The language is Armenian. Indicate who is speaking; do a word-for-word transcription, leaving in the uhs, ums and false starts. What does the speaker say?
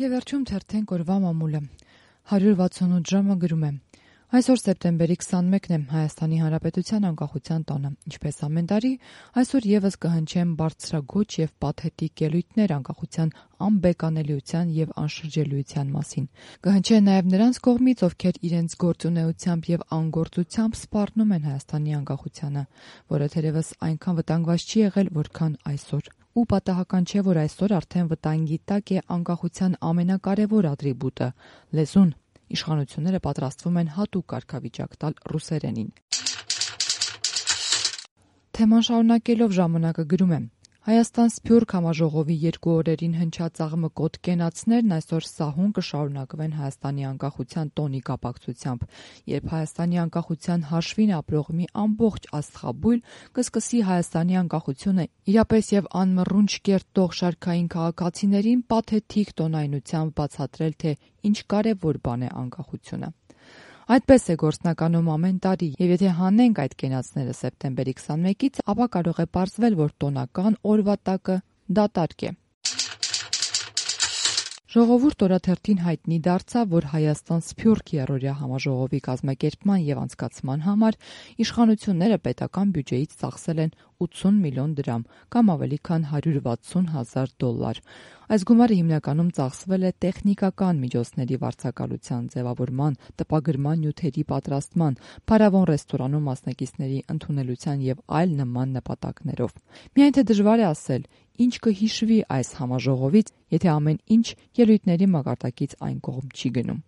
Speaker 1: Եվ վերջում թերթենք օրվա մամուլը։ հարյուր վաթսունութ ժամը գրում է. Այսօր սեպտեմբերի քսանմեկն է, Հայաստանի Հանրապետության անկախության տոնը։ Ինչպես ամեն տարի, այսօր եւս կհնչեն բարձրագույն եւ պաթետիկ ելույթներ անկախության անբեկանելիության եւ անշրջելիության մասին։ Կհնչեն նաեւ նրանց կողմից, ովքեր իրենց գործունեությամբ եւ անգործությամբ սպառնում են Հայաստանի անկախությանը, որը թերևս այնքան վտանգված չի եղել, որքան այսօր։ Ու պատահական չէ, որ այսօր արդեն վտանգի տակ է անկախության ամենակարևոր ատրիբուտը՝ լեզուն։ Իշխանությունները պատրաստվում են հատուկ կարգավիճակ տալ ռուսերենին։ Թեման շարունակելով ժամանակը գրում է. Հայաստան-Սփյուռք համաժողովի երկու օրերին հնչած աղմկոտ կենացներն այսօր սահուն կշարունակվեն Հայաստանի անկախության տոնի կապակցությամբ, երբ Հայաստանի անկախության հաշվին ապրող մի ամբողջ աստղաբույլ կսկսի Հայաստանի անկախությունը իրապես եւ անմռունչ կերտող շարքային քաղաքացիներին պաթետիկ տոնայնությամբ բացատրել, թե ինչ կարևոր բան է անկախությունը։ Այդպես է գործնականում ամեն տարի, եւ եթե հանենք այդ կենացները սեպտեմբերի քսանմեկից, ապա կարող է պարզվել, որ տոնական օրվա տակը դատարկ է։ Ժողովուրդ օրաթերթին հայտնի դարձավ, որ Հայաստան-Սփյուռք եռօրյա համաժողովի կազմակերպման եւ անցկացման համար իշխանությունները պետական բյուջեից ծախսել են ութսուն միլիոն դրամ, կամ ավելի քան հարյուր վաթսուն հազար դոլար։ Այս գումարը հիմնականում ծախսվել է տեխնիկական միջոցների վարձակալության, ձևավորման, տպագրման նյութերի պատրաստման, փարավոն ռեստորանում մասնակիցների ընդունելության եւ այլ նման նպատակներով։ Միայն թե դժվար է ասել, ինչ կհիշվի այս համաժողովից, եթե ամեն ինչ ելույթների մակարդակից այն կողմ չի գնում։